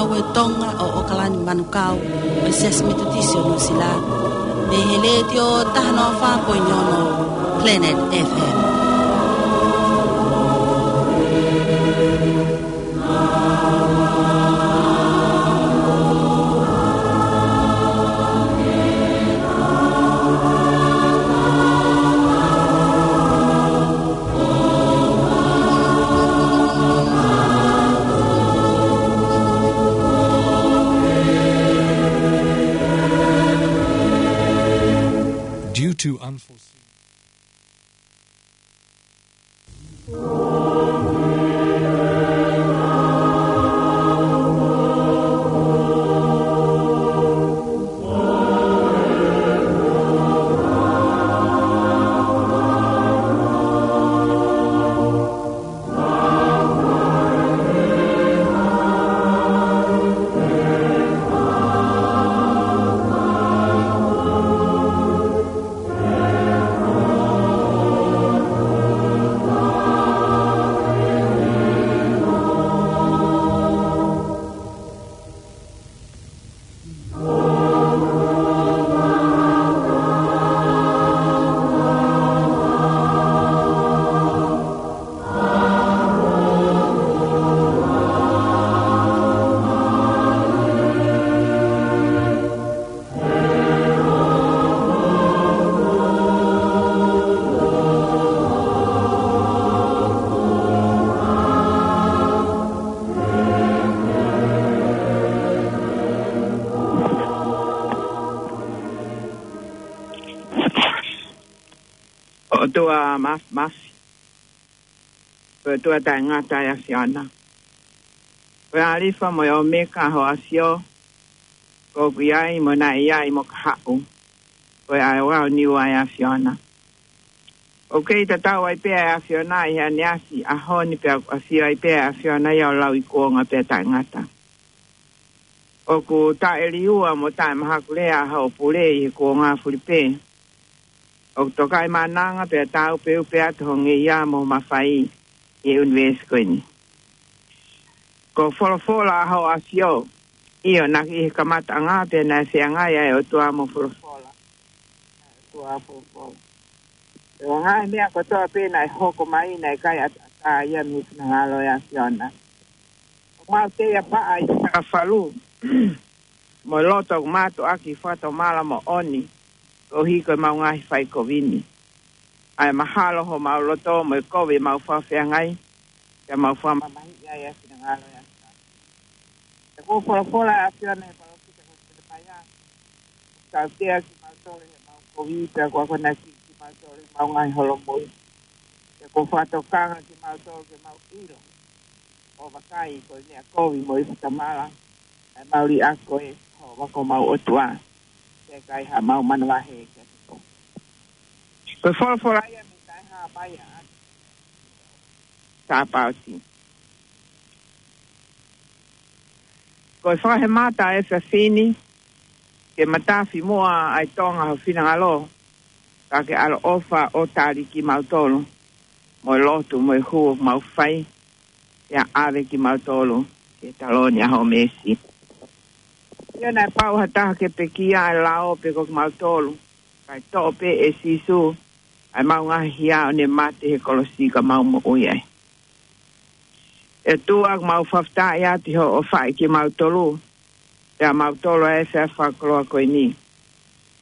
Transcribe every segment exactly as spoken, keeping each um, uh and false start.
Ko e Tonga ʻo ʻOkalani Manukau, ʻo e Siasi Metotisi ʻo Nuʻusila, mei he Letiō taha noa fā poini ono Planet F M. Due to unforeseen ʻOtua Māfimafi, ko e ʻOtua taʻengata ʻa e ʻAfiona. Ko e ʻĀlifa mo e ʻOmeka hoʻo ʻafio, ko ʻoku ʻi ai mo naʻe ʻi ai mo ka haʻu, ko e ʻAoʻao Niua ʻa e ʻAfiona. ʻOku kei tatau ai pē ʻa e ʻAfiona ʻi he ʻaneafi ʻaho ni pea ʻoku ʻafio ai pē ʻa e ʻAfiona ia ʻo lauikuonga pea taʻengata. ʻOku taʻeliua mo taʻemahakulea ʻa hoʻo pule ʻi he kuonga fulipē. ʻOku tokaʻi mānanga pea tāupeʻupe atu ho ngeia mo ho mafai ʻi he ʻunivēsi ko eni. Ko e folofola ʻa hoʻo ʻafio, ʻio naʻa ki he kamataʻanga pea naʻe feangai ʻa e ʻOtua mo e folofola. ʻOtua folofola. Pea ko e ngaahi meʻa kotoa pē naʻe hoko mai naʻe ʻikai ʻataʻatā ia mei he finangalo ʻo e ʻAfiona. ʻOku mau tei ʻapaʻa ʻi he sakafalu, mo e loto ʻoku mātuʻaki fakatomala moʻoni, koeʻuhi ko ʻemau ngaahi faikovi ni. ʻA e mahalo homau loto mo e kovi ʻemau fakafeangai, pea mau fakamamahiʻi ai ʻa e finangalo ʻo e ʻAfiona. Pea kuo folofola ʻa e ʻAfiona ʻi he palōfita ko Selemaia, ʻoku tautea kimautolu ʻe heʻemau kovi, pea kuo akonaki kimautolu ʻe heʻemau ngaahi holomui. Pea kuo fakatokanga kimautolu ke mau ʻilo, ʻo vakai ko e meʻa kovi mo e fakatomala, ʻa ʻemau liʻaki koe, Sihova ko homau ʻOtua, pea ʻikai haʻamau manavahē kiate koe. Ko e folofola ia mei he taʻehāmai ʻa Sāpaoti. Ko e fakahēmata ʻa e efiafi ni, ke matafi muʻa ʻa e Tonga ho finangalo, ka ke ʻaloʻofa ʻo tali kimautolu, mo e lotu mo e hū ʻoku mau fai, pea ʻave kimautolu ki he taloni ʻa hoʻo meesi. ʻIo naʻe pau ha taha ke pekia ʻa e lao pe ko kimautolu, kae toʻo pē ʻe Sīsū ʻa ʻemau ngaahi hia ʻo ne mate he kolosi ka mau moʻui ai. ʻE ʻOtua, ʻoku mau fakafetaʻi atu ʻi hoʻo ʻofaʻi kimautolu, pea mautolu ʻa e efiafi fakakoloa ko eni.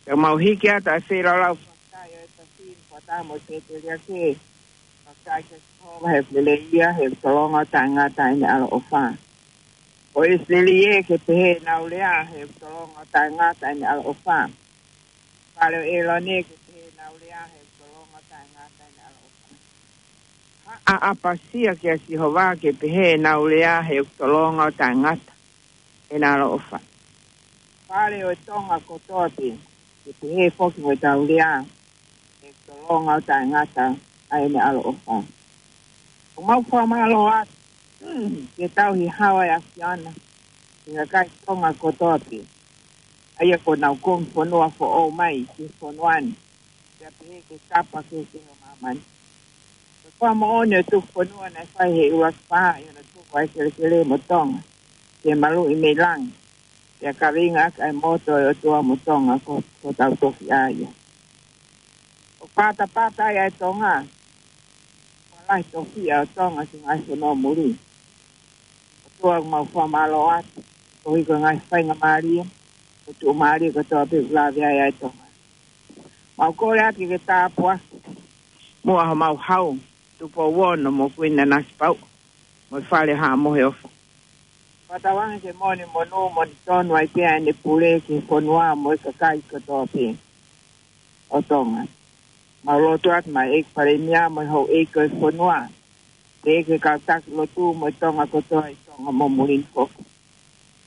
Pea mau hiki atu ʻa e feilaulau fakafetaʻi ʻo e efiafi ni, fakataha mo e tētēliake. Fakafetaʻi kia Sihova he ʻoku lelei ia, he ʻoku tolonga ʻo taʻengata ʻene ʻaloʻofa. Ko ʻIsileli ē, ke pehē ʻenau lea, he ʻoku tolonga ʻo taʻengata ʻene ʻaloʻofa. Fale ʻo ʻĒlone, ke pehē ʻenau lea, he ʻoku tolonga ʻo taʻengata ʻene ʻaloʻofa. Haʻa ʻApasia kia Sihova, ke pehē ʻenau lea, he ʻoku tolonga ʻo taʻengata ʻene ʻaloʻofa. Fale ʻo e Tonga kotoa pē, ke pehē foki mo ʻetau lea, he ʻoku tolonga ʻo taʻengata ʻa ʻene ʻaloʻofa. ʻOku mau fakamālō atu, ke tauhi hawa ʻa e ʻAfiona, ki he kakai Tonga kotoa pē, ʻa ia kuo nau kongi fonua foʻou mai ki he fonua ni, pea pehē ki he tapa kehekehe ʻo māmani. Ko e fakamoʻoni ʻo e tuku fonua naʻe fai ʻe he ʻUluaki Paʻa ʻi hono tuku ʻa e kelekele mo Tonga, ke maluʻi mei langi, pea kaveinga ʻaki ʻa e moto ʻo e ʻOtua mo Tonga ko, ko hotau tofiʻa ia. ʻOku patapata ai ʻa e Tonga, ʻoku lahi e tofiʻa ʻo Tonga ki he ngaahi fonua muli. ʻOtua, ʻoku mau fakamālō atu koeʻuhi ko e ngaahi faingamālie mo e tuʻumālie kotoa pē ʻoku lave ai ʻa e Tonga. Mau kole atu ke ke tāpuaki muʻa homau hau, Tupou Ono mo Kuini Nanasipauʻu, mo e Fale Haʻa Moheofo. Fakatauange ke moʻoni monū moʻoni tonu ai pē ʻa ʻene pule ki he fonua mo e kakai kotoa pē ʻo Tonga. Mau lotu atu maʻa e ʻEiki Palēmia mo e houʻeiki ʻo e fonua, pea ki he kau taki lotu mo e Tonga kotoa ʻi Tonga mo muli ni foki.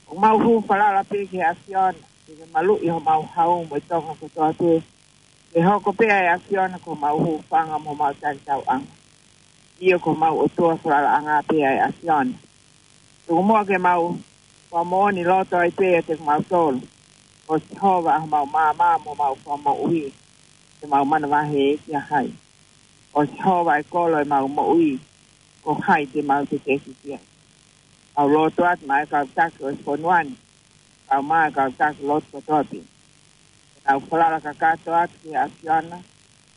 ʻOku mau hū falala pē ki he ʻAfiona ke ke maluʻi homau hau mo e Tonga kotoa pē, ke hoko pē ʻa e ʻAfiona ko homau hūfanga mo homau talitauʻanga. ʻIo, ko homau ʻOtua falalaʻanga pē ʻa e ʻAfiona. Tuku muʻa ke mau fakamoʻoni loto ai pē ʻiate kimautolu, ko Sihova ʻa homau maama mo homau fakamoʻui, te mau manavahē ki ha hai? Ko Sihova ʻa e kolo ʻo ʻemau moʻui, ko hai te mau tekeki ki ai? Mau lotu atu maʻa e kau taki ʻo e fonua ni, kae ʻumaʻā e kau taki lotu kotoa pē, ke nau falala kakato atu ki he ʻAfiona,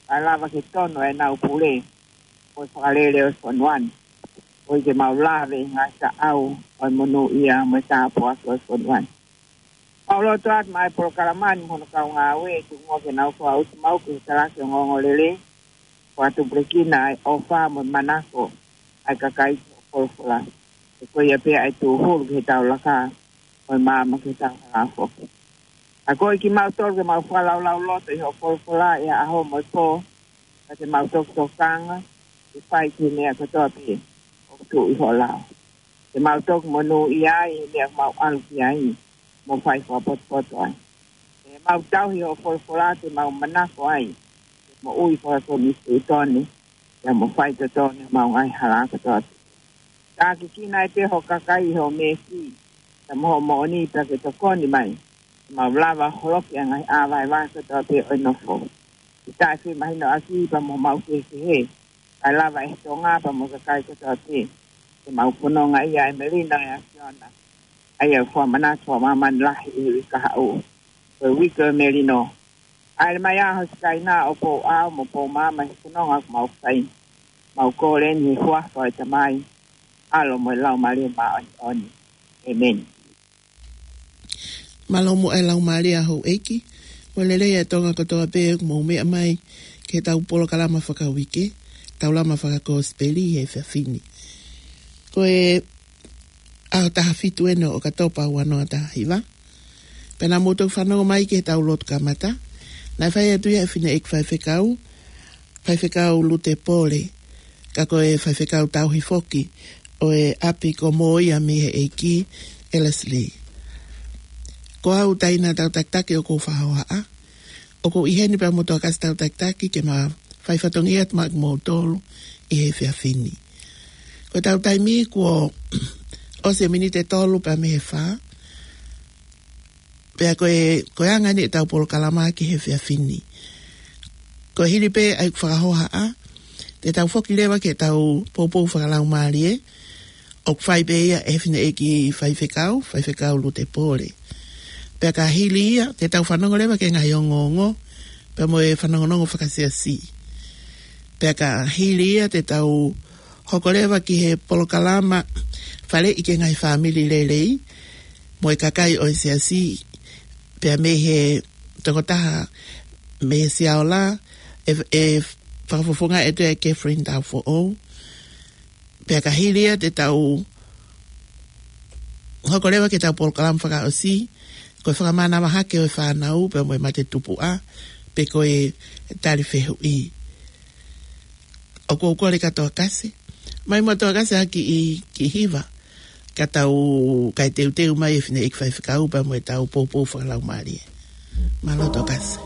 kae lava ke tonu ʻenau pule mo e fakalele ʻo e fonua ni, koeʻuhi ke mau lave ʻi he ngaahi taʻau ʻo e monūʻia mo e tāpuaki ʻo e fonua ni. Mau lotu atu maʻa e polokalama ni mo hono kau ngāue, tuku muʻa ke nau fakaʻosi maʻu ki he talaki ongoongolelei, fakatupulekina ʻa e ʻofa mo e manako ʻa e kakai ki hoʻo folofola. He ko ia pē ʻa e tūhulu ki heʻetau laka, mo e maama ki heʻetau hala foki. ʻA ia ko kimautolu ke mau fakalaulauloto ʻi hoʻo folofola ʻi he ʻaho mo e pō, pea te mau toki tokanga ke fai ki he meʻa kotoa pē ʻoku tuʻu ʻi ho lao. Te mau toki monūʻia ai he meʻa ʻoku mau ʻalu ki ai mo fai fakapotopoto ai. Te mau tauhi hoʻo folofola, te mau manako ai ke moʻui fakakonisitūtone, pea mo faitotonu ʻi homau ngaahi hala kotoa pē. Tākiekina ai pē ho kakai ʻi hoʻo meesi, pea mo hoʻo moʻoni, pea ke tokoni mai ke mau lava ʻo holoki ʻa e ngaahi ʻā vaivai kotoa pē ʻo e nofo, ke taʻefimahinoʻaki pea mo homau kehekehe, kae lava ʻe he Tonga pea mo e kakai kotoa pē ke mau fononga ʻi he melino ʻo e ʻAfiona, ʻa ia ʻoku fakamanatu fakamāmani lahi ʻi he uike kahaʻu, ko e uike ʻo e melino. ʻAle mai ā ho Sikaina ʻo pou ʻao mo pou maama ʻi he fononga ʻoku mau fai. Mau kole ni ʻi he huafa ʻo e Tamai, ʻAlo mo e Laumālie Māʻoniʻoni. ʻĒmeni. Mālō muʻa e laumālie ʻa houʻeiki, mo e lelei ʻa Tonga kotoa pē ʻoku mou meʻa mai ki heʻetau polokalama fakauike, Taulama Fakakosipeli he efiafi ni. Ko e ʻaho taha fitu eni ʻo ʻOkatopa ua noa taha hiva. Pea naʻa mou toki fanongo mai ki heʻetau lotu kamata, naʻe fai atu ia ʻe he fineʻeiki faifekau, Faifekau Lute Pole, ka ko e faifekau tauhi foki ʻo e ʻapi ko Moia mei he ʻEiki, ʻElesi Lī. Ko au Taina Tautakitaki ʻoku ou fakahohaʻa. ʻOku ou ʻi heni pea mo Toketā Kasi Tautakitaki ke ma fai fatongia atu maʻa kimoutolu ʻi he efiafi ni. Ko ʻetau taimi kuo ʻosi e miniti ʻe tolu pea mei he fā. Pea ko e, ko e anga eni ʻetau polokalama ki he efiafi ni. Ko e hili pē ʻa ʻeku fakahohaʻa, te tau foki leva ki heʻetau poupou fakalaumālie, ʻoku fai pē ia ʻe he fineʻeiki faifekau, Faifekau Lute Pole. Pea ka hili ia, te tau fanongo leva ki he ngaahi ongoongo, pea mo e fanongonongo fakasiasi. Pea ka hili ia, te tau hoko leva ki he polokalama Faleʻi ki he Ngaahi Fāmili Lelei, mo e kakai ʻo e siasi, pea mei he tokotaha mei he Siaola, ʻe, ʻe fakafofongaʻi atu ʻe Catherine Taufoʻou. Pea ka hili ia, te tau hoko leva ki heʻetau polokalama fakaʻosi, ko e fakamanavahake ʻo e fānau pea mo e mate tupuʻa, pe ko e tali fehuʻi. ʻOku ou kole kia Toketā Kasi, mai mo Toketā Kasi ʻaki ʻi, ki hiva, ka tau, kae teuteu mai e fineʻeiki faifekau pea mo ʻetau poupou fakalaumālie. Mālō Toketā Kasi.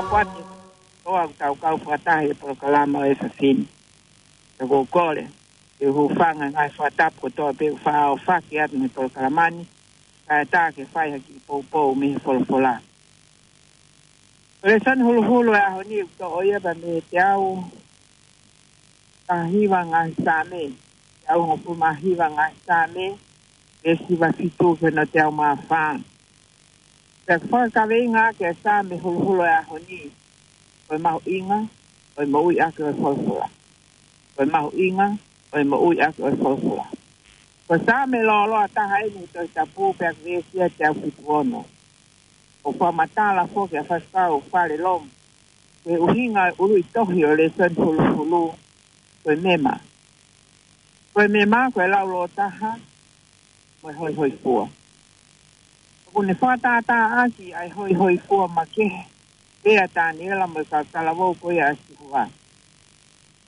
Kuati, ʻoku tau kau fakataha he polokalama ʻo e efiafi ni. Ka ʻoku ou kole ke u hūfanga he ngaahi fakatapu kotoa pē ʻoku faʻa ʻohofaki atu mei he polokalama ni, kae ʻatā ke fai ha kiʻi poupou mei he folofola. Ko e lēsoni huluhulu ʻo e ʻaho ni ʻoku toʻo ia pea mei he teau tahahiva ngaahi Saame, teau hongofulu mā hiva ngaahi Saame, veesi hiva fitu ki hono teau mā fā. Pea ʻoku fakakaveinga ʻaki ʻa e Saame huluhulu ʻo e ʻaho ni, ko e mahuʻinga ʻo e moʻui ʻaki ʻo e folofola. Ko e mahuʻinga ʻo e moʻui ʻaki ʻo e folofola. Ko e Saame lōloa taha eni he Tohi Tapu pea ʻoku veesi ia ʻe teau fitu ono. ʻOku fakamatala foki ʻa e faifekau Falelong ki he ʻuhinga ʻo e ʻuluʻi tohi ʻo e lēsoni huluhulu, ko e mema. Ko e mema, ko e laulōtaha mo e hoihoifua. ʻOku ne fakatātā ʻaki ʻa e hoihoifua makehe pē ʻa Taniela mo e kau talavou ko ia ʻa Sihova.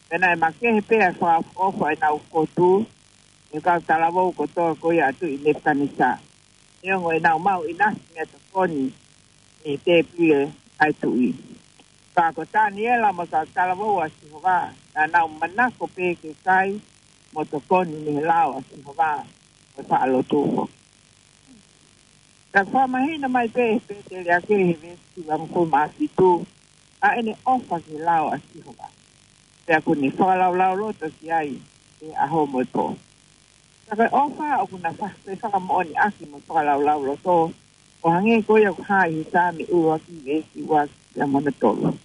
Pea naʻe makehe pē ʻa e fakaʻofoʻofa ʻenau kotu ʻi he kau talavou kotoa ko ia ʻa Tuʻi Nepukanesa, neongo ʻenau maʻu ʻinasi mei he tokoni ʻi he tēpile ʻa e tuʻi. Ka ko Taniela mo e kau talavou ʻa Sihova, naʻa nau manako pē ke kai mo tokoni mei he lao ʻa Sihova, mo e faʻa lotu foki. Pea ʻoku fakamahino mai pē ʻe he Pēteliake he veesi hivangofulu mā fitu, ʻa ʻene ʻofa ki he lao ʻa Sihova. Pea ʻoku ne fakalaulauloto ki ai he ʻaho mo e pō. Ka ko e ʻofa ʻoku na fa-, fefakamoʻoniʻaki mo e fakalaulauloto, ʻo hangē ko ia ʻoku hā ʻi he Saame ʻuluaki veesi ua pea mo hono tolu.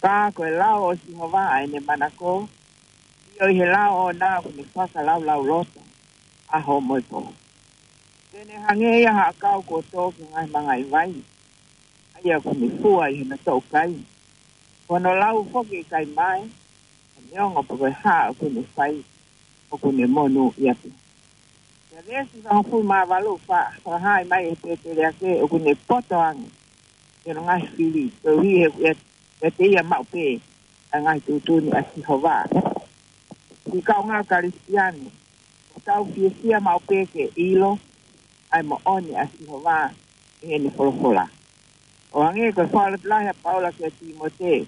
Ka ko e lao ʻo Sihova ʻa ʻene manako, ʻio ʻi he lao ʻoʻona ʻoku ne fakalaulauloto ʻaho mo e pō. Te ne hangē ia ha ʻakau kuo tō ki he ngaahi mangaʻi vai, ʻa ia ʻoku ne fua ʻi hono toʻukai. Ko hono lau foki ʻe ʻikai mae, neongo pe ko e hā ʻoku ne fai, ʻoku ne monūʻia pē. Pea veesi hivangofulu mā valu, fa-, fakahā mai ʻe he Pēteliake ʻoku ne poto ange ʻi hono ngaahi fili, koeʻuhi he ʻoku ʻiate ia maʻu pē ʻa e ngaahi tuʻutuʻuni ʻa Sihova. Siʻi kaungā Kalisitiane, ʻoku tau fiefia maʻu pē ke ʻilo ʻa e moʻoni ʻa Sihova ʻi heʻene folofola. ʻO hangē ko e fakalotolahi ʻa Paula kia Tīmote,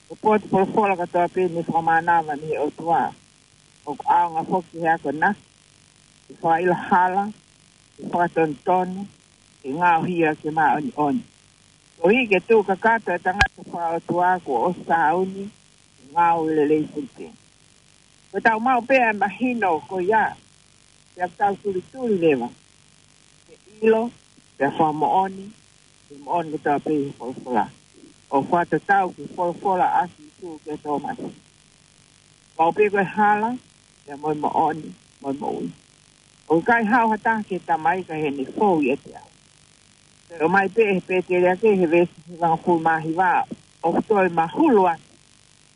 ko e potu folofola kotoa pē ne fakamānava mei he ʻOtua, ʻoku ʻaonga foki ki he akonaki, ke fakaʻilo hala, ke fakatonutonu, ke ngaohi ke māʻoniʻoni, koeʻuhi ke tuʻu kakato e tangata fakaʻotua kuo ʻosi sāuni, ke ngāue lelei foki pē. Ko ʻetau maʻu pē ʻa e mahino ko ia, pea ʻoku tau tulituli leva ke ʻilo, pea fakamoʻoni, ke moʻoni kotoa pē ʻi he folofola, ʻo fakatatau ki he folofola ʻa Sīsū kia Tōmasi. Maʻu pē ko e hala, pea mo e moʻoni, mo e moʻui. ʻOku ʻikai haʻu ha taha ki he Tamai ka ʻi heʻene fou ʻiate au. Pea ʻomai pē ʻe he Pēteliake he veesi hivangofulu mā hiva, ʻoku toe mahulu atu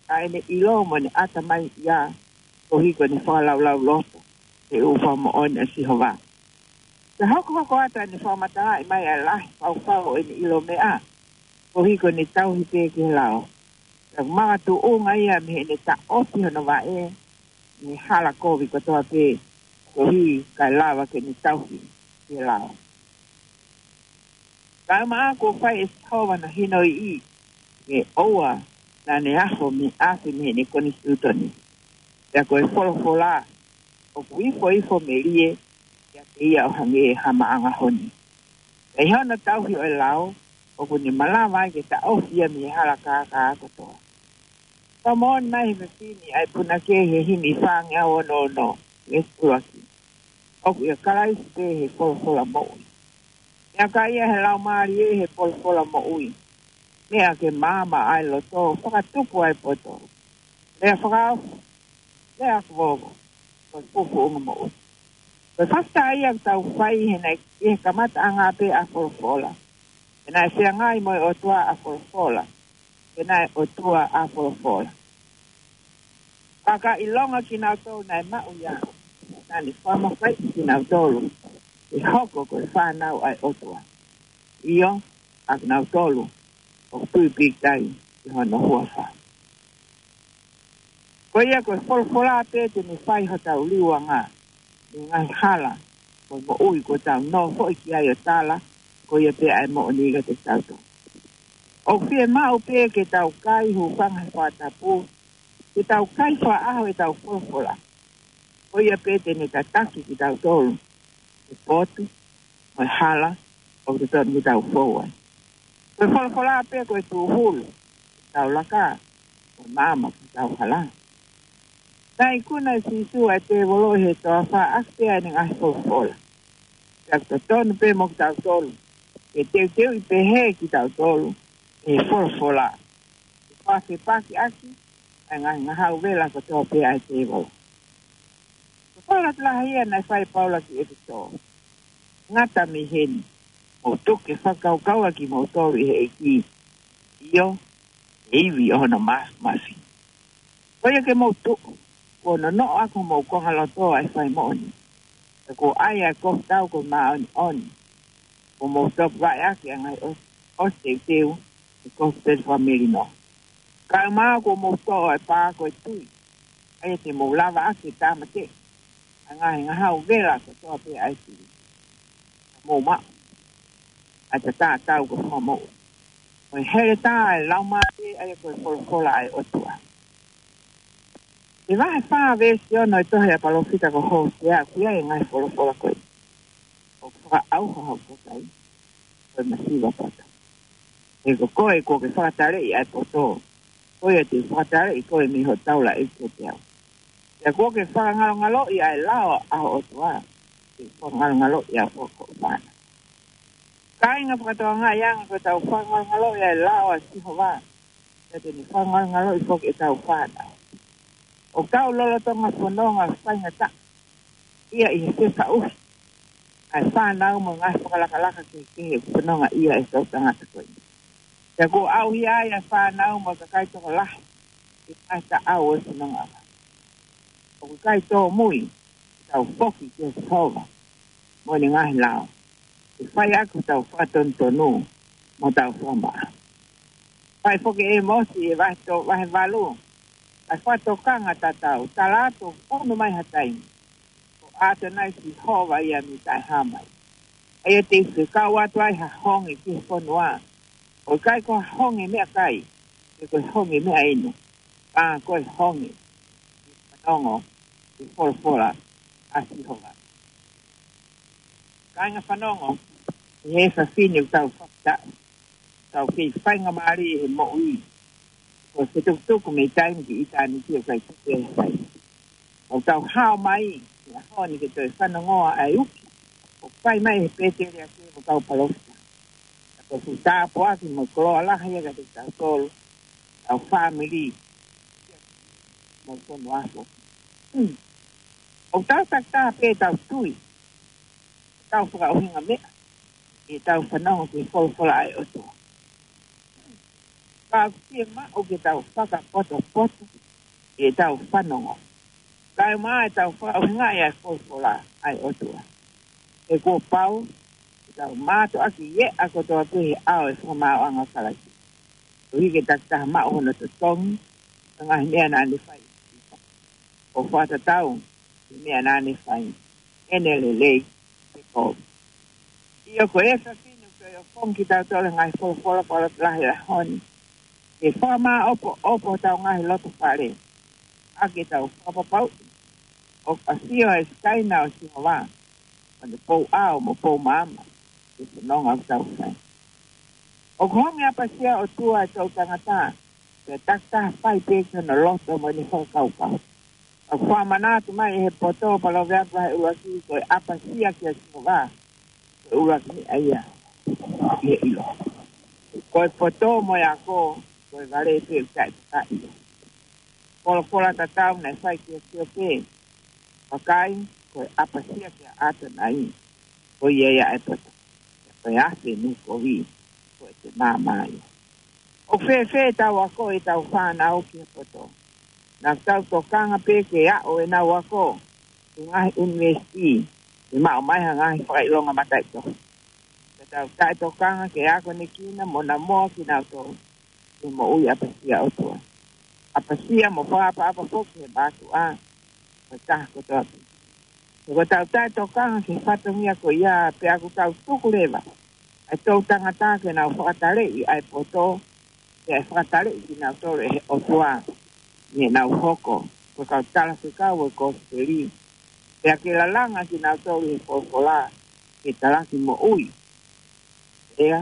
ʻa ʻene ʻilo mo ʻene ʻatamai ia, koeʻuhi ko ʻene fakalaulauloto ki he ʻū fakamoʻoni ʻa Sihova. Pea hokohoko atu ʻene fakamatalaʻi mai ʻa e lahi fau fau ʻo ʻene ʻilo meʻa, koeʻuhi ko ʻene tauhi pē ki he lao. Pea ʻoku makatuʻunga ia mei heʻene taʻofi hono vaʻe mei he hala kovi kotoa pē, koeʻuhi kae lava ke ne tauhi ki he lao. Kae ʻumaʻā kuo fai ʻe Sihova hono hinoiʻi, ke ʻoua naʻa ne afo mei, afe mei heʻene konisitūtone. Pea ko e folofola ʻoku ifoifo melie ʻiate ia ʻo hangē ha maʻanga honi. Pea ʻi hono tauhi ʻo e lao, ʻoku ne malava ai ke taʻofi ia mei he hala kākā kotoa. Fakamoʻoni mai he efiafi ni ʻa e punake he himi fāngeau ono ono, veesi ʻuluaki. ʻOku ʻia Kalaisi pē he folofola moʻui. Meʻakai ia he Laumālie he folofola moʻui. Meʻa ke maama ʻa e loto, fakatupu ʻa e poto. Lea fakaofo, lea ʻoku vovo, ko e fufuʻu ʻo e moʻui. Ko e fakafetaʻi ia ʻoku tau fai he naʻe, ʻi he kamataʻanga pē ʻa e folofola. He naʻe feangai mo e ʻOtua ʻa e folofola. He naʻe ʻOtua ʻa e folofola. Ka ka ʻilonga kinautolu naʻe maʻu ia, naʻa ne fakamafaiʻi kinautolu ke hoko ko e fānau ʻa e ʻOtua. ʻIo, ʻa kinautolu ʻoku tui pīkitai ki hono huafa. Ko ia ko e folofola pē te ne fai hotau liuanga mei he ngaahi hala mo e moʻui kuo tau nofoʻi ki ai ʻo tala, ko ia pē ʻa e moʻoni kiate kitautolu. ʻOku fiemaʻu pē ke tau kai hūfanga he fakatapu, ke tau kai fakaʻaho ʻetau folofola. Ko ia pē te ne tataki kitautolu he potu mo e hala ʻoku totonu ke tau fou ai. Ko e folofola pē ko e tūhulu ʻetau laka, ko e maama ʻetau hala. Naʻe ikuna ʻe Sīsū ʻa e tēvolo ʻi he toafa ʻaki pē ʻene ngaahi folofola. Pea ʻoku totonu pē mo kitautolu ke teuteuʻi pehē kitautolu ʻe he folofola, ke fakafepakiʻaki ʻa e ngaahi ngahau vela kotoa pē ʻa e tēvolo. Ko e fakalotolahi ia naʻe fai ʻe Paula ki ʻEfesō: Ngata mei heni, mou tuku ke fakakaukaua kimoutolu ʻi he ʻEiki, ʻio, ʻi he ivi ʻo hono māfimafi. Ko ia ke mou tuʻu, kuo nonoʻo ʻaki homou kongaloto ʻa e fai moʻoni, pea kuo ʻai ʻa e kofu tau ko e māʻoniʻoni, kuo mou topuvaʻe ʻaki ʻa e ngaahi ʻo-, ʻosi teuteu ʻi he kofu pele fakamelino. Kaeʻumaʻā kuo mou toʻo ʻa e pā ko e tui, ʻa ia te mou lava ʻaki ke tāmateʻi ʻa e ngaahi ngahau vela kotoa pē ʻa e fili. Mou maʻu ʻa e tatā tau ko e fakamoʻui, mo e heletā ʻa e Laumālie, ʻa ia ko e folofola ʻa e ʻOtua. ʻI he vahe fā veesi ono ʻo e tohi ʻa e palōfita ko Hōsea, ʻoku ʻi ai e ngaahi folofola ko eni: ʻOku fakaʻauha hoku kakai, ko e masiva poto. He ko koe kuo ke fakataleʻi ʻa e poto, ko ia te u fakataleʻi koe mei hoʻo taulaʻeiki kiate au. Pea kuo ke fakangalongaloʻi ʻa e lao ʻa ho ʻOtua, te u fakangalongaloʻi ʻa ho fānau. Kāinga, fakatokangaʻi ange, ko ʻetau fakangalongaloʻi ʻa e lao ʻa Sihova, pea te ne fakangalongaloʻi foki ʻetau fānau. ʻOku tau lolotonga fononga faingataʻa ia ʻi he fefaʻuhi ʻa e fānau mo e ngaahi fakalakalaka kehekehe ʻoku fononga ia ʻe he kau tangata ko eni. Pea kuo ʻauhia ai ʻa e fānau mo e kakai tokolahi ʻi he ngaahi taʻau ʻo e fononga. ʻOku ʻikai tōmui ke tau foki kia Sihova mo ʻene ngaahi lao, ke fai ʻaki hotau fakatonutonu mo hotau fakamaʻa. Fai foki ʻe ʻĒmosi ʻi he vahe to-, vahe valu ʻa e fakatokanga tatau: Tala atu ʻoku unu mai ha taimi, ko ʻAtonai Sihova ia mei taʻehāmai, ʻa ia te u fekau atu ai ha honge ki he fonua, ʻo ʻikai ko ha honge meʻakai, pe ko e honge meʻainu, ka ko e honge ke fanongo ki he folofola ʻa Sihova. Kāinga, fanongo ʻi he efiafi ni ʻoku tau fakataʻu, tau kei faingamālie he moʻui. Ko e fetukutuku mei taimi ki ʻitāniti ʻoku ʻikai tuku ia he fai. ʻOku tau hao mai he ʻaho ni ke toe fanongoa ʻa e uki ʻoku fai mai ʻe he Pēteliake mo e kau palōfita. Ka ko e fuʻu tāpuaki mo e koloa lahi ia kiate kitautolu, tau fāmili, mo e fonua foki. Hmm. ʻOku tau takitaha pē ʻetau tui, tau fakaʻuhinga meʻa ʻi heʻetau fanongo ki he folofola ʻa e ʻOtua. Ka ʻoku fiemaʻu ke tau fakapotopoto ʻi heʻetau fanongo, kaeʻumaʻā ʻetau fakaʻuhingaʻi ʻa e folofola ʻa e ʻOtua. He kuo pau ke tau mātuʻaki ʻi he ʻā kotoa pē he ʻao ʻo e fakamaauʻanga ʻo Kalaisi, koeʻuhi ke takitaha maʻu hono totongi ʻo e ngaahi meʻa naʻa ne fai, ʻo fakatatau ki he meʻa naʻa ne fai, ʻene lelei pe kovi. ʻIo, ko e efiafi ni ʻoku toe ʻofongi kitautolu ʻe he ngaahi folofola fakalotolahi ʻo e ʻaho ni ke fakamāʻopoʻopo hotau ngaahi lotofale, ʻaki ʻetau fakapapauʻi ʻoku ʻafio ʻa e Sikaina ʻo Sihova, ʻo ne pou ʻao mo pou maama ki he fononga ʻoku tau fai. ʻOku honge ʻapasia ʻOtua ʻa e toʻutangata, pea takitaha fai pē ki hono loto mo ʻene fakakaukau. ʻOku fakamanatu mai ʻe he poto, Paloveape vahe ʻuluaki, ko e ʻapasia kia Sihova ko e ʻuluaki meʻa ia ki he ʻilo. Ko e poto mo e ako, ko e vale pē ʻoku taʻetakaʻi ia. Folofola tatau naʻe fai kia Siope: Vakai, ko e ʻapasia kia ʻAtonai, ko ia ia ʻa e poto. Ko e afe mei he kovi, ko ʻete maama ia. ʻOku fēfē ʻetau akoʻi ʻetau fānau ki he poto? Naʻa tau tokanga pē ke aʻu ʻenau ako ki he ngaahi ʻunivēsiti, ke maʻu mai ha ngaahi fakaʻilonga mataʻitohi. Ka tau taʻetokanga ke akonekina mo namoa kinautolu ki he moʻui ʻapasia ʻOtua, ʻapasia mo fakaʻapaʻapa foki he mātuʻa mo e taha kotoa pē. He ko ʻetau taʻetokanga ki he fatongia ko ia, pea ʻoku tau tuku leva ʻa e toʻutangata ke nau fakataleʻi ʻa e poto Pea ʻe fakataleʻi kinautolu ʻe he ʻOtua ʻi heʻenau hoko ko e kau talafekau ʻo e kosipeli. Pea ke lalanga kinautolu ʻi he folofola, ke talaki moʻui, ʻea,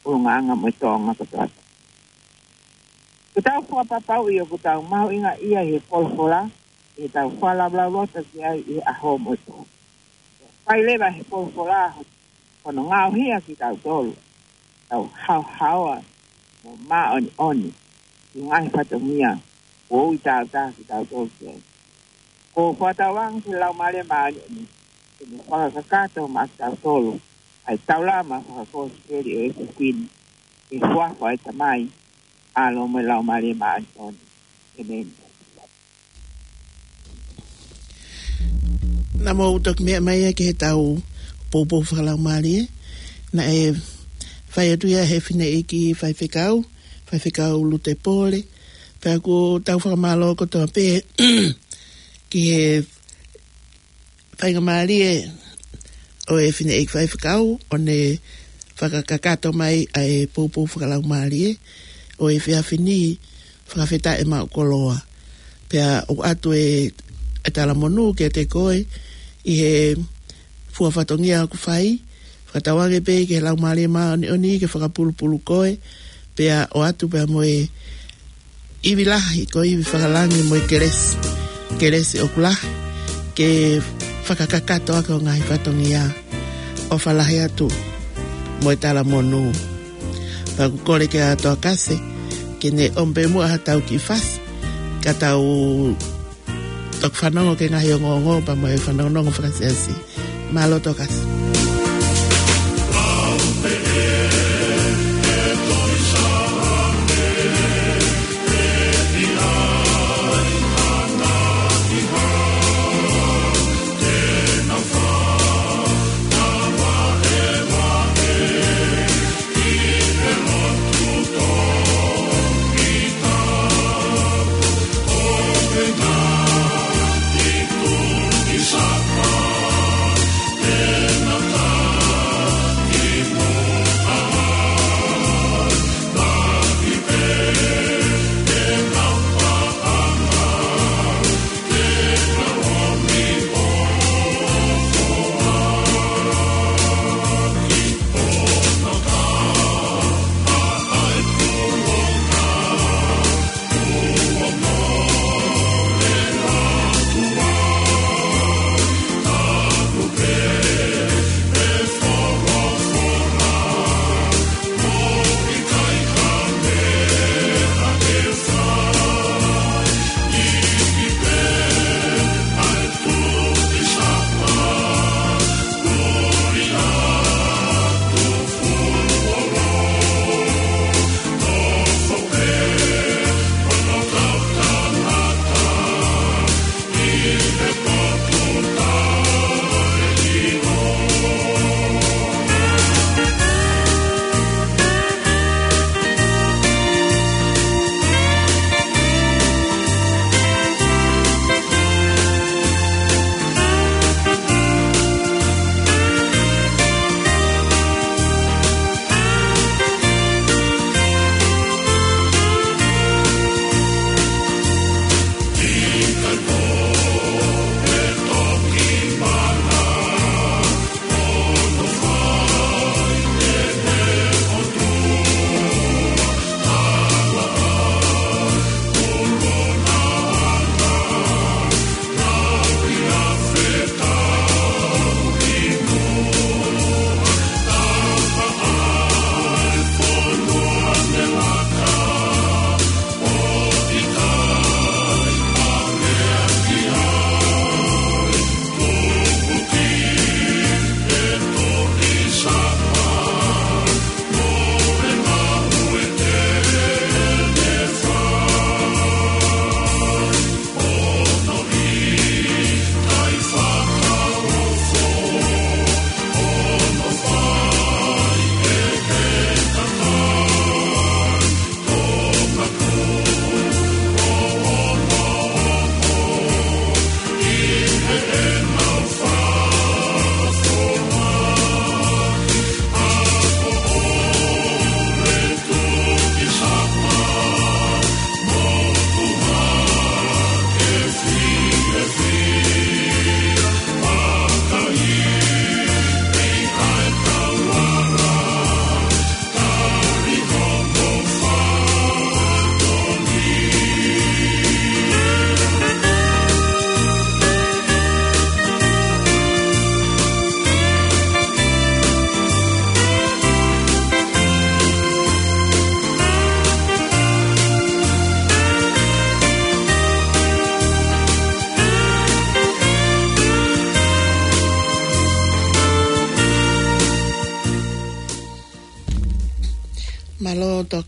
ʻulungaanga mo e tōʻonga kotoa pē. Ko ʻetau fakapapauʻi ʻoku tau mahuʻingaʻia ʻi he folofola, ʻi heʻetau fakalaulauloto ki ai ʻi he ʻaho mo e pō. Fai leva he folofola hono ngaohi kitautolu, tau haohaoa mo māʻoniʻoni ki he ngaahi fatongia kuo ui tautolu kitautolu ki ai. Ko e fakatauange ki he Laumālie Māʻoniʻoni ke ne fakakakato maʻa kitautolu ʻa e taulama fakakosipeli ʻo e ʻEiki ko Sīsū, ʻi he huafa ʻo e Tamai, ʻAlo mo e Laumālie Māʻoniʻoni. ʻĒmeni. Naʻa mou toki meʻa mai ia ki heʻetau poupou fakalaumālie. Naʻe fai atu ia ʻe he fineʻeiki faifekau, Faifekau Lute Pole. Pea ʻoku tau fakamālō kotoa pē ki he faingamālie ʻo e fineʻeiki faifekau ʻo ne fakakakato mai ʻa e poupou fakalaumālie ʻo e efiafi ni. Fakafetaʻi maʻu koloa. Pea ʻoatu e, e talamonū kiate koe ʻi he fua fatongia ʻoku fai. Fakatauange pē ki he Laumālie Māʻoniʻoni ke fakapulupulu koe, pea ʻoatu pea mo e ivi lahi, ko e ivi fakalangi mo e kelesi, kelesi ʻoku lahi, ke fakakakato ʻaki ho ngaahi fatongia. ʻOfa lahi atu mo e talamonū. Pea ʻoku kole kia Toa Kase ke ne ʻomi pē muʻa haʻatau kiʻi fasi, ka tau toki fanongo ki he ngaahi ongoongo pea mo e fanongonongo fakasiasi. Mālō Toa Kase.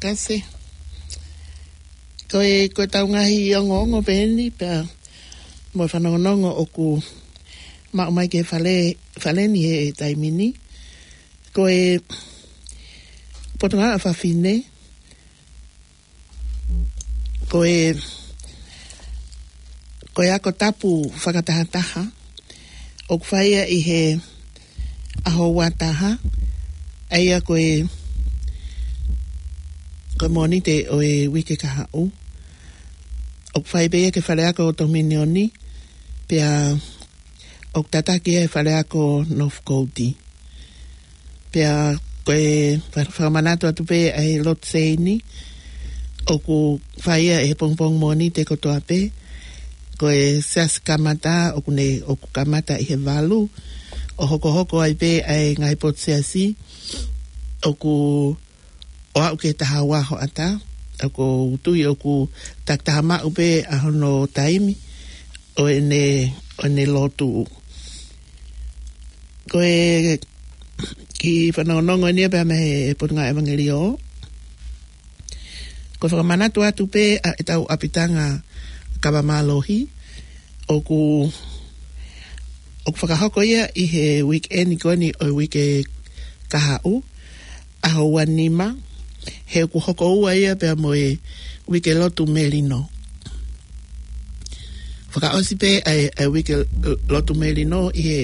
Kase. Ko e, ko e tau ngaahi ongoongo pē eni, pea mo e fanongonongo ʻoku maʻu mai ki he fale, fale ni he taimi ni. Ko e Potungāue ʻa Fafine, ko e, ko e ako tapu fakatahataha, ʻoku fai ia ʻi he ʻaho ua taha, ʻa ia ko e, ko e Mōnite ʻo e uike kahaʻu. ʻOku fai pē ia ki he fale ako ʻo Tominioni, pea ʻoku tataki ia he fale ako Northcote. Pea ko e fa-, fakamanatu atu pē ʻa e lotu seini, ʻoku fai ia he pongipongi Mōnite kotoa pē, ko e siasi kamata, ʻoku ne, ʻoku kamata ʻi he valu, ʻo hokohoko ai pē ʻa e ngaahi potu siasi, ʻoku ʻo aʻu ki he taha ua hoʻatā, ʻoku ou tui ʻoku takitaha maʻu pē ʻa hono taimi ʻo ʻene, ʻo ʻene lotu. Ko e kiʻi fanongonongo eni ia pea mei he Potungāue ʻEvangeliō. Ko e fakamanatu atu pē ʻa ʻetau ʻapitanga kava mālohi, ʻoku, ʻoku fakahoko ia ʻi he weekend ko eni ʻo e uike kahaʻu, ʻaho ua nima, he ʻoku hoko ua ia pea mo e uike lotu melino. Fakaʻosi pē ʻa e, ʻa e uike lotu melino ʻi he,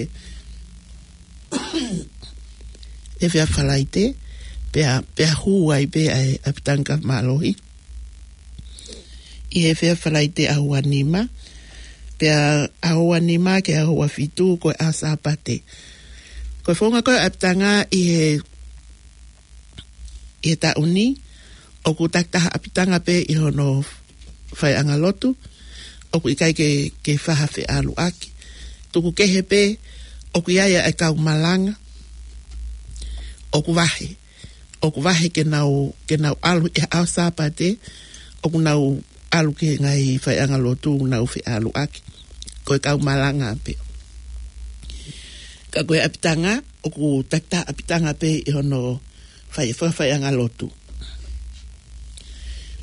he efiafi Falaite, pea, pea hū ai pē ʻa e ʻapitanga mālohi ʻi he efiafi Falaite ʻaho ua nima, pea ʻaho ua nima ki he ʻaho ua fitu ko e ʻaho Sāpate. Ko e founga ko ē ʻapitanga ʻi he, ʻi he taʻu ni, ʻoku takitaha ʻapitanga pē ʻi hono faiʻanga lotu, ʻoku ʻikai ke, ke faha feʻaluʻaki. Tuku kehe pē, ʻoku ʻi ai ʻa e kau malanga, ʻoku vahe. ʻOku vahe ke nau, ke nau ʻalu ʻi he ʻaho Sāpate, ʻoku nau ʻalu ki he ngaahi faiʻanga lotu, nau feʻaluʻaki. Ko e kau malanga pē. Ka ko e ʻapitanga, ʻoku takitaha ʻapitanga pē ʻi hono fai, fai, faiʻanga lotu.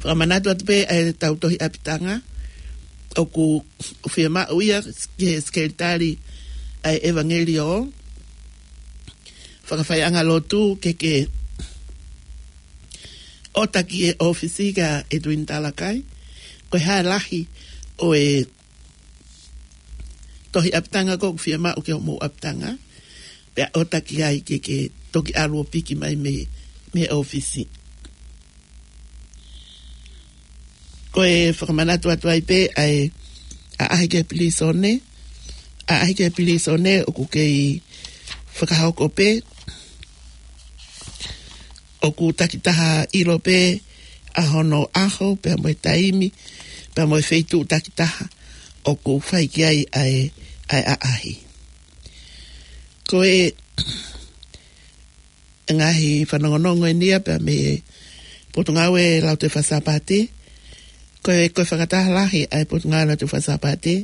Fakamanatu atu pē ʻa e tau tohi ʻapitanga, ʻoku fiemaʻu ia ki he sekelitali ʻa e ʻEvangeliō, fakafaiʻanga lotu ke ke ʻota ki he ʻōfisi kia Edwin Talakai, ko e hā e lahi ʻo e tohi ʻapitanga ko ē ʻoku fiemaʻu ki hoʻomou ʻapitanga, pea ʻota ki ai ke ke toki ʻalu ʻo piki mai mei, mei he ʻōfisi. Ko e fakamanatu atu ai pē ʻa e ʻaʻahi ki he pilīsone, ʻaʻahi ki he pilīsone ʻoku kei fakahoko pē, ʻoku takitaha ʻilo pē ʻa hono ʻaho, pea mo e taimi, pea mo e feituʻu takitaha, ʻoku fai ki ai ʻa e, ʻa e ʻaʻahi. Ko e ngaahi fanongonongo eni ia pea mei he Potungāue Lautohi Faka-Sāpate, ko e, ko e fakataha lahi ʻa e Potungāue Lautohi Faka-Sāpate,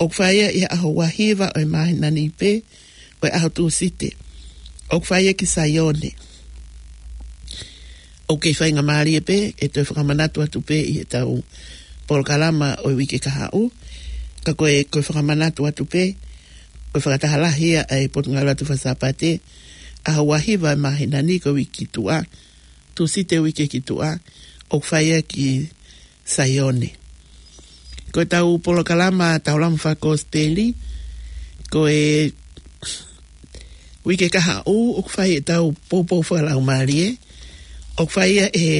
ʻoku fai ia ʻi he ʻaho ua hiva ʻo e māhina ni pē, ko e ʻaho Tūsite. ʻOku fai ia ki Saione. ʻOku kei faingamālie pē, ʻe toe fakamanatu atu pē ʻi he tau polokalama ʻo e uike kahaʻu. Ka ko e, ko e fakamanatu atu pē, ko e fakataha lahi ia ʻa e Potungāue Lautohi Faka-Sāpate, ʻaho ua hiva ʻo e māhina ni ko e uike ki tuʻa, Tūsite uike ki tuʻa, ʻoku fai ia ki Saione. Ko e tau polokalama Taulama Fakakosipeli, ko e uike kahaʻu ʻoku fai e tau poupou fakalaumālie, ʻoku fai ia ʻe he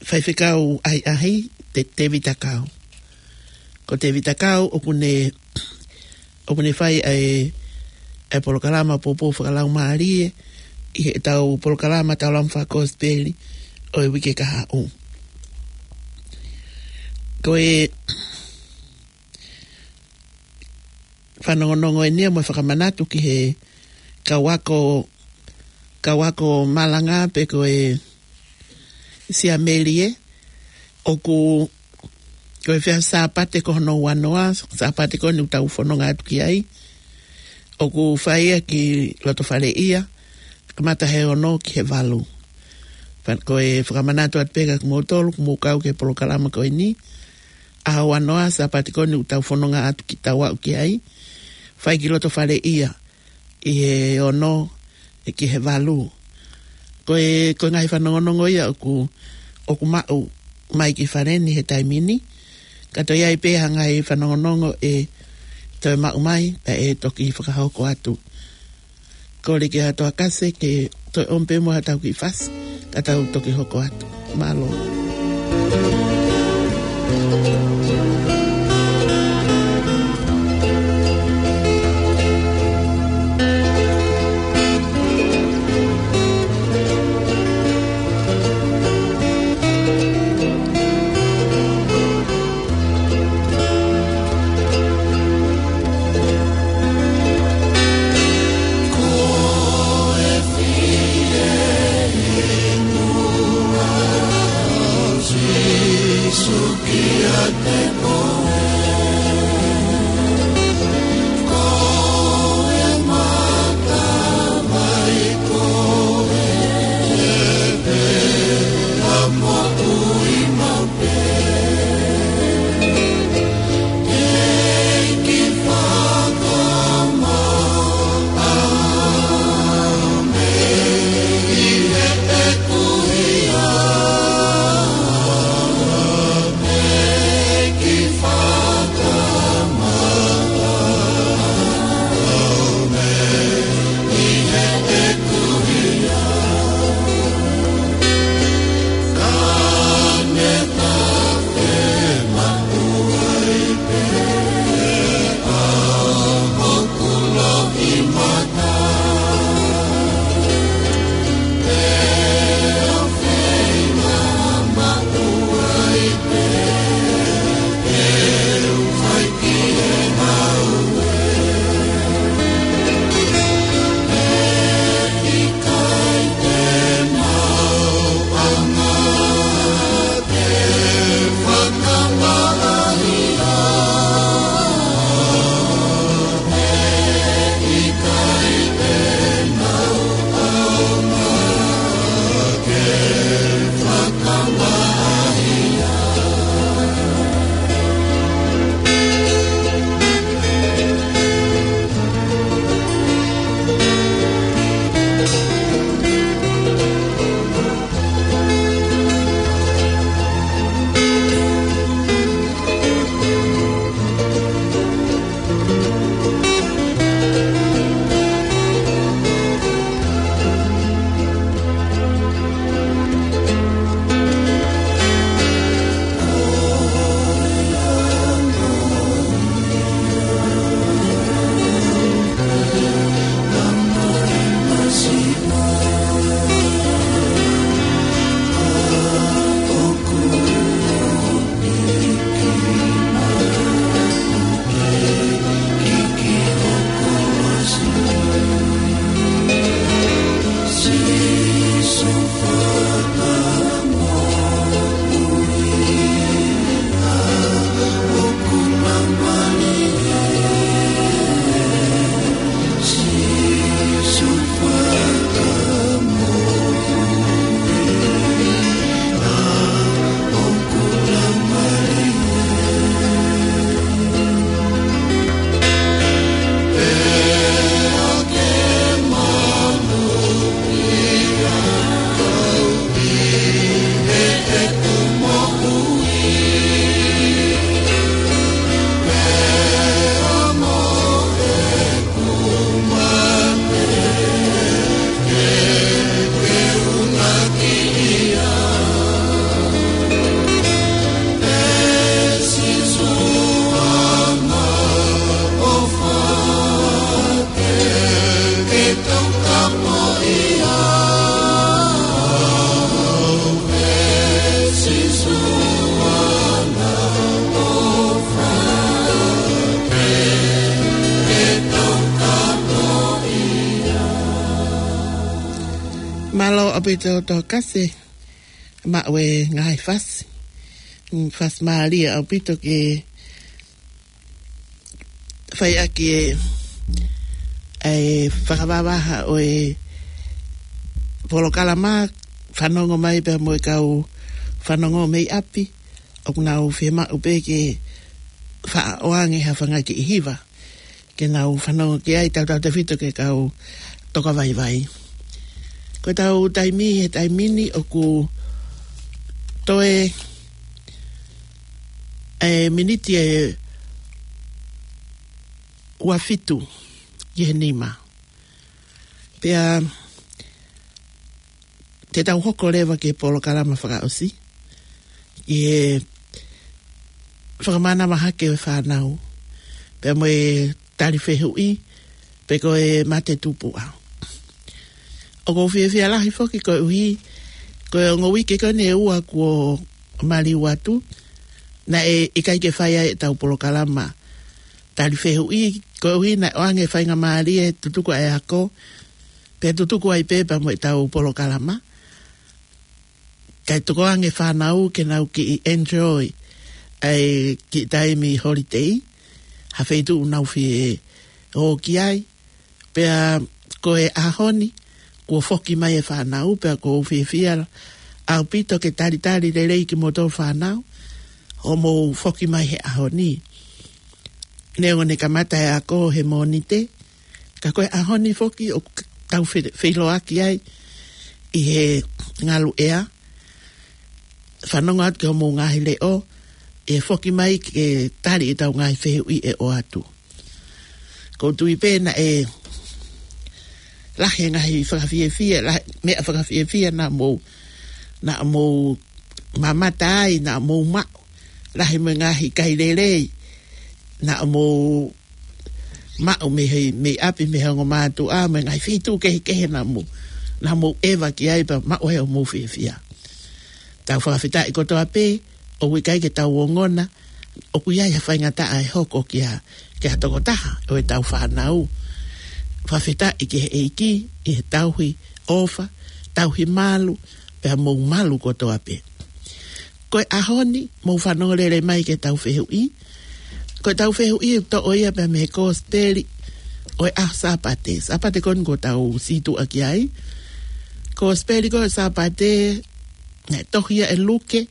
faifekau ʻahiʻahi, Te-, Tēvita Kau. Ko Tēvita Kau ʻoku ne, ʻoku ne fai ʻa e, ʻa e polokalama poupou fakalaumālie, ʻi he tau polokalama Taulama Fakakosipeli ʻo e uike kahaʻu. Ko e fanongonongo eni ia mo e fakamanatu ki he kau ako, kau ako malanga pe ko e siamelie, ʻoku, ko e efiafi Sāpate ko hono ua noa, Sāpate ko eni ʻoku tau fononga atu ki ai, ʻoku fai ia ki Lotofaleʻia, kamata he ono ki he valu. Fa-, ko e fakamanatu atu pē kia kimoutolu, ʻoku mou kau ki he polokalama ko eni. ʻAho ua noa, Sāpate ko eni ʻoku tau fononga atu ki tau aʻu ki ai. Fai ki loto faleʻia, ʻi he ono, ʻe ki he valu. Ko e, ko e ngaahi fanongonongo ia ʻoku, ʻoku maʻu mai ki fale ni he taimi ni. Ka toe ʻi ai pē ha ngaahi fanongonongo ʻe toe maʻu mai, pea ʻe toki fakahoko atu. Kole kia Toa Kase ke toe ʻomi pē mo ha tau kiʻi fasi, ka tau toki hoko atu. Mālō. Mālō ʻaupito Toa Kase, maʻu e ngaahi fasi. Mm, fasi mālie ʻaupito ke fai ʻaki e, e fakavavaha ʻo e polokalama fanongo mai pea mo e kau fanongo mei ʻapi, ʻoku nau fiemaʻu pē ke faʻa ʻoange ha fanga kiʻi hiva ke nau fanongo ki ai, tautautefito ki he kau tokavaivai. Ko ʻetau taimi he taimi ni ʻoku toe ʻe miniti ʻe ua fitu ki he nima. Pea te tau hoko leva ki he polokalama fakaʻosi, ki he fakamanavahē ʻo e fānau, pea mo e tali fehuʻi, pe ko e mate tupuʻa. ʻOku ou fiefia lahi foki koeʻuhi ko e ongo uike ko eni ʻe ua kuo maliu atu, naʻe ʻikai ke fai ai ʻetau polokalama tali fehuʻi, koeʻuhi naʻe ʻoange faingamālie tutuku ʻa e ako, pea tutuku ai pē pea mo ʻetau polokalama. Kae tuku ange fānau ke nau kiʻi enjoy ʻa e kiʻi taimi holiday, ha feituʻu ʻoku nau fie ō ki ai. Pea ko e ʻaho ni, kuo foki mai e fānau, pea ʻoku ou fiefia ʻaupito ke talitali lelei kimoutolu fānau, hoʻomou foki mai he ʻaho ni. Neongo ʻene kamata e ako he Mōnite, ka ko e ʻaho ni foki ʻoku tau fe-, feʻiloaki ai ʻi he ngaluʻea, fanongo atu ki hoʻomou ngaahi leʻo, ʻe foki mai ke tali ʻetau ngaahi fehuʻi ʻe ʻoatu. ʻOku ou tui pē naʻe lahi e ngaahi fakafiefia, lahi meʻa fakafiefia naʻa mou, naʻa mou mamata ai, naʻa mou maʻu. Lahi mo e ngaahi kai lelei naʻa mou maʻu mei he, mei ʻapi, mei he ongo mātuʻa, mo e ngaahi feituʻu kehekehe naʻa mou, naʻa mou ʻeva ki ai pea maʻu ai hoʻomou fiefia. Tau fakafetaʻi kotoa pē, ʻoku ʻikai ke tau ongona ʻoku ʻi ai ha faingataʻa ʻe hoko kia, kia ha tokotaha ʻo ʻetau fānau. Fakafetaʻi ki he ʻEiki ʻi he tauhi ʻofa, tauhi malu, pea mou malu kotoa pē. Ko e ʻaho ni, mou fanongo lelei mai ki heʻetau fehuʻi. Ko ʻetau fehuʻi ʻoku toʻo ia pea mei he Kosipeli ʻo e ʻaho Sāpate. Sāpate ko eni ʻoku tau sītuʻa ki ai. Kosipeli ko e Sāpate, naʻe tohi ia ʻe Luke,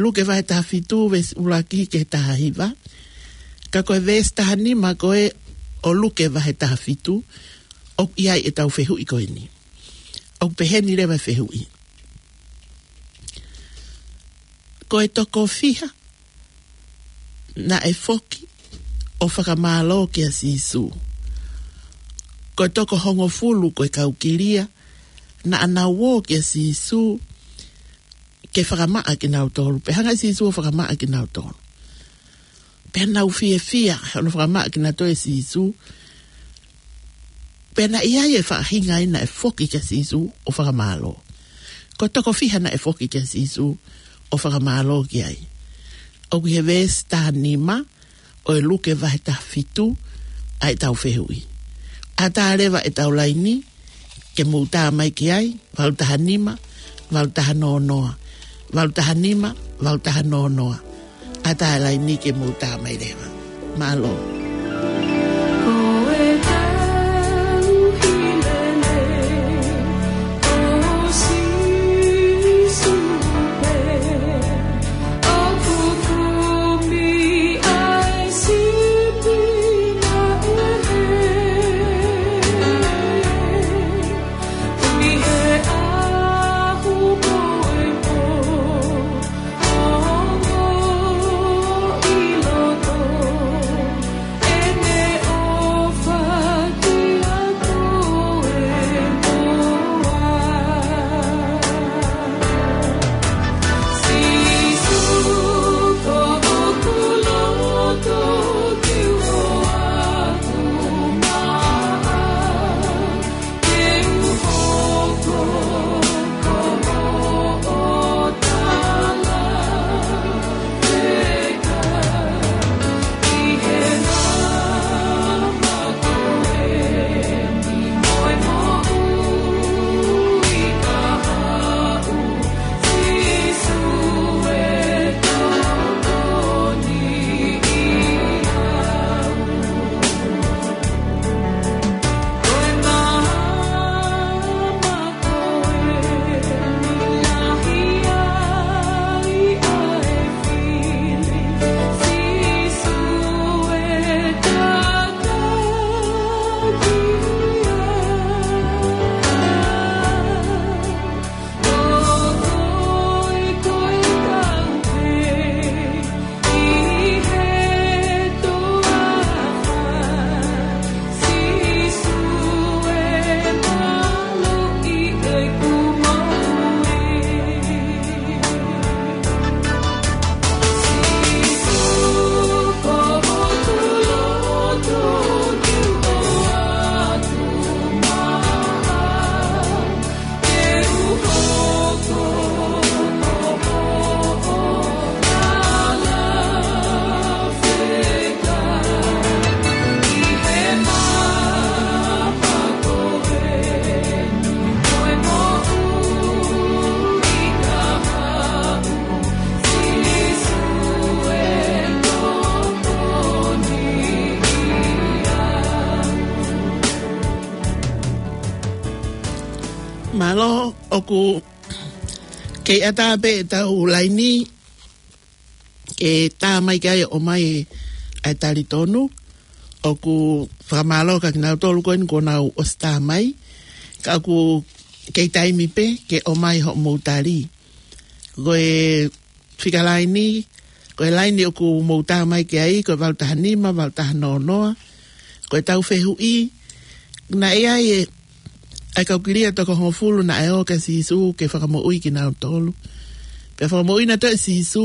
Luke vahe taha fitu, veesi ʻuluaki ki he taha hiva. Ka ko e veesi taha nima ko ē ʻo Luke vahe taha fitu, ʻoku ʻi ai ʻetau fehuʻi ko eni. ʻOku pehē ni leva e fehuʻi: Ko e toko fiha naʻe foki ʻo fakamālō kia Sīsū? Ko e toko hongofulu ko e kau kilia naʻa nau ō kia Sīsū ke fakamaʻa kinautolu, pea hanga ʻe Sīsū ʻo fakamaʻa kinautolu. Pea nau fiefia he ʻene fakamaʻa kinautolu ʻe Sīsū. Pea naʻe ʻi ai e faʻahinga ia naʻe foki kia Sīsū ʻo fakamālō. Ko e toko fiha naʻe foki kia Sīsū ʻo fakamālō ki ai? ʻOku ʻi he veesi taha nima ʻo e Luke vahe taha fitu ʻa ʻetau fehuʻi. ʻAtā leva ʻetau laini ke mou tā mai ki ai, valu taha nima, valu taha noa noa, valu taha nima, valu taha noa noa. ʻAtā e laini ke mou tā mai leva. Mālō. Ko e tauhi lelei ʻo Sīsū pē, ʻoku kumi ʻa e sipi maʻu hē. ʻI he ʻaho ko ē ʻoku ongo ʻi loto ʻene Mālō, ʻoku kei ʻatā pē ʻetau laini, ke tā mai ki ai ʻo ʻomai ʻa e talitonu. ʻOku fakamālō kia kinautolu ko eni kuo nau ʻosi tā mai. Ka ʻoku kei taimi pē ke ʻomai hoʻomou tali. Ko e fika laini, ko e laini ʻoku mou tā mai ki ai, ko e valu taha nima, valu taha noa noa. Ko ʻetau fehuʻi, naʻe ʻi ai e, ʻa e kau kilia toko hongofulu naʻe ō kia Sīsū ke fakamoʻui kinautolu. Pea fakamoʻui nautolu ʻe Sīsū,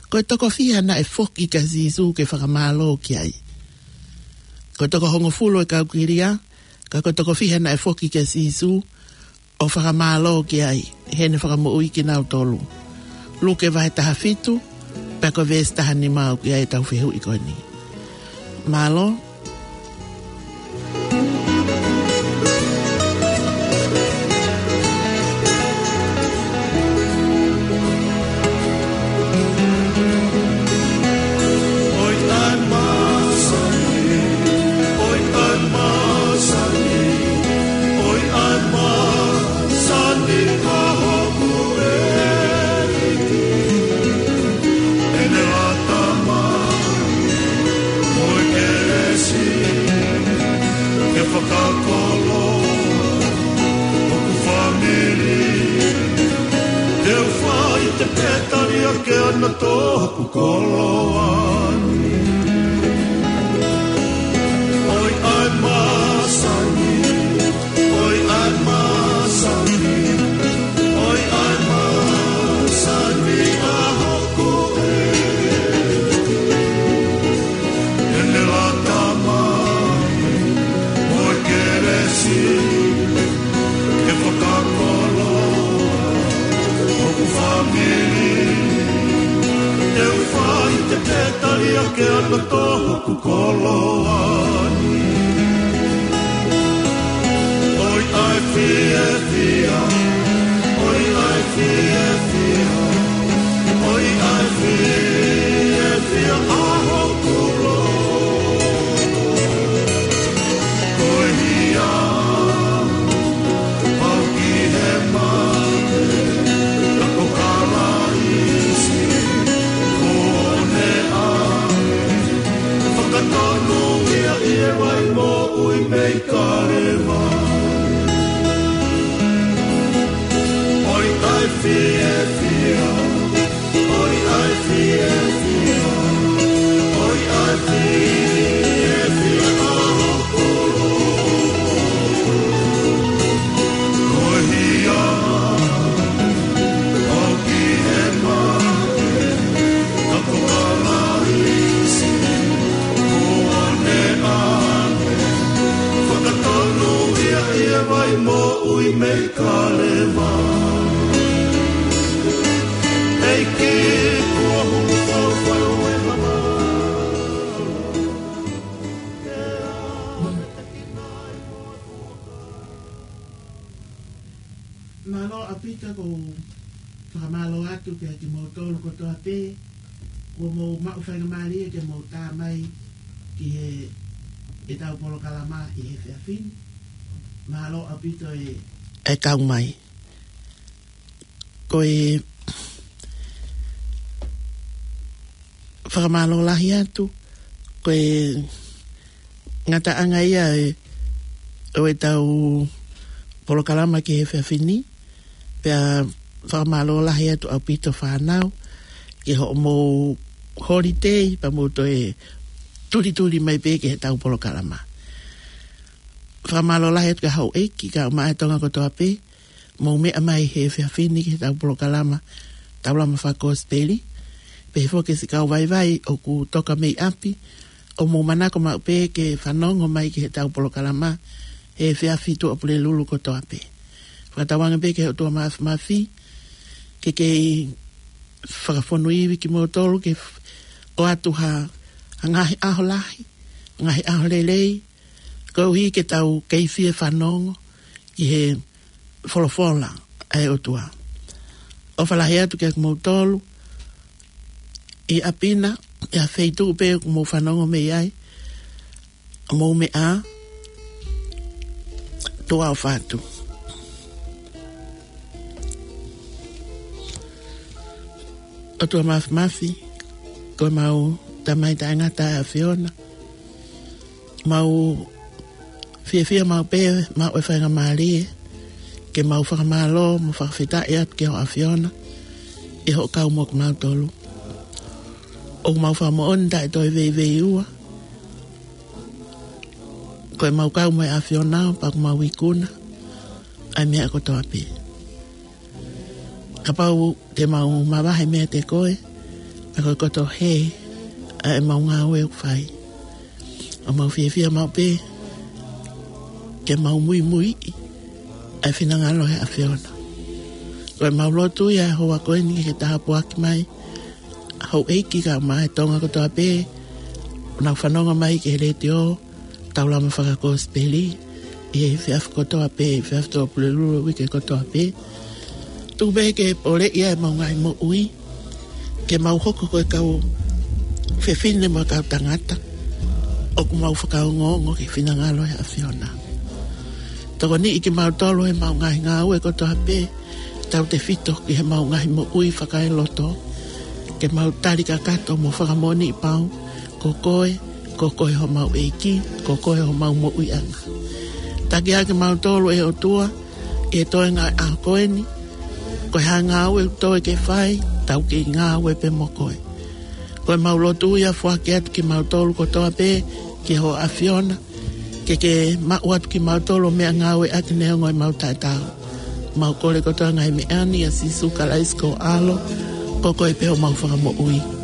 ko e toko fiha naʻe foki kia Sīsū ke fakamālō ki ai. Ko e toko hongofulu e kau kilia, ka ko e toko fiha naʻe foki kia Sīsū, ʻo fakamālō ki ai, heʻene fakamoʻui kinautolu. Luke vahe taha fitu, pea ko e veesi taha nima ʻoku ʻi ai ʻetau fehuʻi ko eni. Mālō. ʻOi ʻa e māsani, ʻoi ʻa e māsani, ʻoi ʻa e māsani ʻa hoku ʻEiki. ʻEne lata mai mo e kelesi ke fakakoloa hoku fāmili. Te u fai te pētalia ke ana to hoku koloa ni. ʻOi ʻa e māsani, ʻoi ʻa e māsani, ʻoi ʻa e māsani ʻa hoku ʻEiki. ʻEne lata mai mo e kelesi ke fakakoloa hoku fāmili. Te u fai te pētalia ke ana to hoku koloa ni. ʻOi ʻa e fiefia, ʻoi ʻa e fiefia, ʻoi ʻa e fiefia ʻa hoku loto. Ko e hia au ki he mate, ka ko Kalaisi kuo ne ʻave. Fakatonuhia ʻi he vai moʻui mei Kalevale. ʻOi ʻa e fiefia, ʻoi ʻa e fiefia, ʻoi ʻa e fiefia ʻa hoku loto. Ko e hia au ki he mate, ka ko Kalaisi kuo ne ʻave. Fakatonuhia ʻi he vai moʻui mei Kalevale. ʻEiki kuo hulu fau fau e hama. Mālō ʻaupito, ʻoku ou fakamālō atu kiate kimoutolu kotoa pē kuo mou maʻu faingamālie ke mou tā mai ki he, ʻetau polokalama ʻi he efiafi ni. Mālō ʻaupito e, e kau mai. Ko e fakamālō lahi atu, ko e ngataʻanga ia e, ʻo ʻetau polokalama ki he efiafi ni, pea fakamālō lahi atu ʻaupito fānau, ki hoʻomou holiday, pea mou toe tulituli mai pē ki heʻetau polokalama. Fakamālō lahi atu ki he houʻeiki, kae ʻumaʻā e Tonga kotoa pē, mou meʻa mai he efiafi ni ki heʻetau polokalama, Taulama Fakakosipeli, pehē foki siʻi kau vaivai ʻoku toka mei ʻapi, ʻoku mou manako maʻu pē ke fanongo mai ki heʻetau polokalama he efiafi Tuʻapulelulu kotoa pē. Fakatauange pē ki he ʻOtua Māfimafi ke kei fakafonu ivi kimoutolu ke f-, ʻoatu ha, ha ngaahi ʻaho lahi, ngaahi ʻaho lelei, koeʻuhi ke tau kei fie fanongo ki he folofola ʻa e ʻOtua. ʻOfa lahi atu kiate kimoutolu ʻi ʻapi na, ʻi ha feituʻu pē ʻoku mou fanongo mei ai, mou meʻa ā, tuʻa ʻofa atu. ʻOtua Mafimafi, ko ʻemau Tamai taʻengata ʻa e ʻAfiona. Mau fiefia maʻu pē, maʻu e faingamālie ke mau fakamālō mo fakafetaʻi atu ki ho ʻAfiona ʻi hoʻo kau mo kimautolu. ʻOku mau fakamoʻoni taʻe toe veiveiua, ko ʻemau kau mo e ʻAfiona pea ʻoku mau ikuna ʻa e meʻa kotoa pē. Kapau te mau mavahe meiate koe, pea ko e koto hē ʻa ʻemau ngāue ʻoku fai, ʻoku mau fiefia maʻu pē ke mau muimuiʻi ʻa e finangalo ʻo e ʻAfiona. Ko ʻemau lotu ia ʻi he houa ko eni ke ke tāpuaki mai houʻeiki kae ʻumaʻā e Tonga kotoa pē ʻoku nau fanongo mai ki he letiō, taulama fakakosipeli ʻi he efiafi kotoa pē, efiafi Tō Pulelulu, uike kotoa pē. Tuku pē ke poleʻi ʻa ʻemau ngaahi moʻui, ke mau hoko ko e kau fefine mo e kau tangata ʻoku mau fakaongoongo ki he finangalo ʻo e ʻAfiona. Tokoniʻi kimautolu ʻi heʻemau ngaahi ngāue kotoa pē, tautefito ki heʻemau ngaahi moʻui fakaeloto, ke mau tali kakato mo fakamoʻoniʻi pau ko koe, ko koe homau ʻEiki, ko koe homau moʻuiʻanga. Taki ā kimautolu, ʻe ʻOtua, ʻi he toenga ʻo e ʻaho ko eni, ko e hā e ngāue ʻoku toe ke fai, tau kei ngāue pē mo koe. Ko ʻemau lotu ia, foaki atu kimautolu kotoa pē ki ho ʻAfiona, ke ke maʻu atu kimautolu ʻo meʻangāueʻaki neongo ʻemau taʻetaau. Mau kole kotoa e ngaahi meʻa ni ʻia Sīsū Kalaisi ko ho ʻAlo, ko koe pē homau Fakamoʻui.